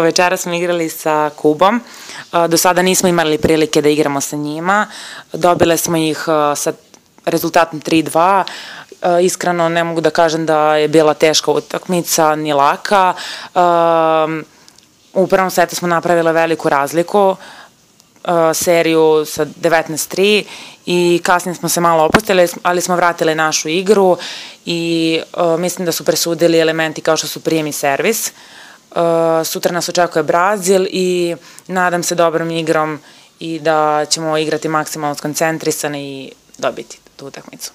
Večera smo igrali sa Kubom. Do sada nismo imali prilike da igramo sa njima. Dobile smo ih sa rezultatom 3-2. Iskreno ne mogu da kažem da je bila teška utakmica, ni laka. U prvom setu smo napravile veliku razliku, seriju sa 19-3 i kasnije smo se malo opustili, ali smo vratili našu igru i mislim da su presudili elementi kao što su prijem i servis. Sutra nas očekuje Brazil i nadam se dobrom igrom i da ćemo igrati maksimalno skoncentrisani i dobiti tu utakmicu.